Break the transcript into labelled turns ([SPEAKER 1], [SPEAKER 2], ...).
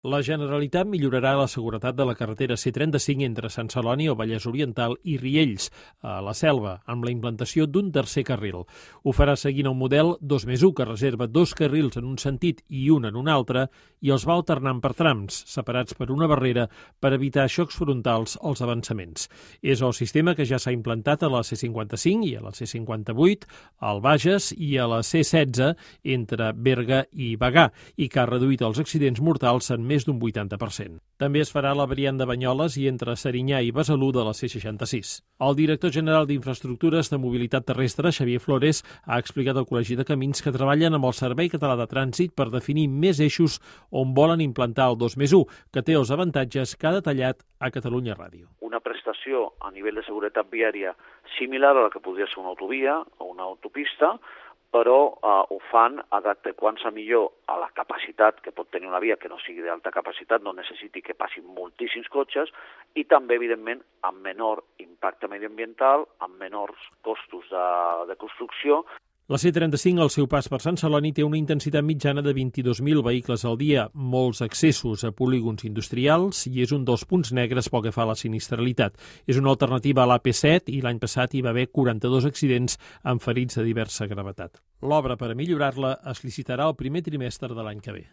[SPEAKER 1] La Generalitat millorarà la seguretat de la carretera C35 entre Sant Celoni, el Vallès Oriental i Riells, a la Selva, amb la implantació d'un tercer carril. Ho farà seguint un model 2+1, que reserva 2 carrils en un sentit i un en un altre, i els va alternant per trams, separats per una barrera per evitar xocs frontals als avançaments. És el sistema que ja s'ha implantat a la C55 i a la C58, al Bages i a la C16 entre Berga i Bagà, i que ha reduït els accidents mortals en més d'un 80%. També es farà la variant de Banyoles i entre Serinyà i Besalú de la C66. El director general d'Infraestructures de Mobilitat Terrestre, Xavier Flores, ha explicat al Col·legi de Camins que treballen amb el Servei Català de Trànsit per definir més eixos on volen implantar el 2+1, que té els avantatges que ha detallat a Catalunya Ràdio.
[SPEAKER 2] Una prestació a nivell de seguretat viària similar a la que podria ser una autovia o una autopista, però ho fan adequant-se millor a la capacitat que pot tenir una via que no sigui d'alta capacitat, no necessiti que passin moltíssims cotxes, i també, evidentment, amb menor impacte mediambiental, amb menors costos de construcció.
[SPEAKER 1] La C35, al seu pas per Sant Celoni, té una intensitat mitjana de 22.000 vehicles al dia, molts accessos a polígons industrials i és un dels punts negres pel que fa a la sinistralitat. És una alternativa a l'AP7 i l'any passat hi va haver 42 accidents amb ferits de diversa gravetat. L'obra per a millorar-la es licitarà el primer trimestre de l'any que ve.